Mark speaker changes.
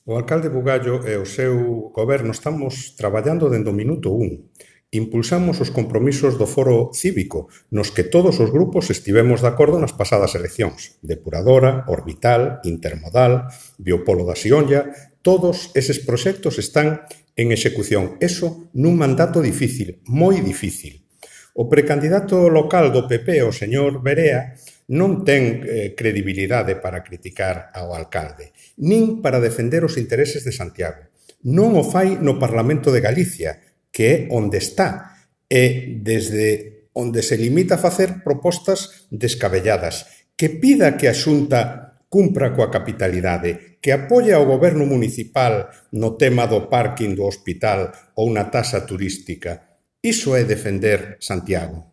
Speaker 1: O alcalde Bugallo e o seu goberno estamos traballando dende o minuto 1. Impulsamos os compromisos do foro cívico, nos que todos os grupos estivemos de acordo nas pasadas eleccións. Depuradora, orbital, intermodal, biopolo da Sionlla, todos eses proxectos están en execución. Eso nun mandato difícil, moi difícil. O precandidato local do PP, o señor Berea, non ten credibilidade para criticar ao alcalde, nin para defender os intereses de Santiago. Non o fai no Parlamento de Galicia, que é onde está, e desde onde se limita a facer propostas descabelladas, que pida que a Xunta cumpra coa capitalidade, que apoie ao goberno municipal no tema do parking do hospital ou na taxa turística. Iso é defender Santiago.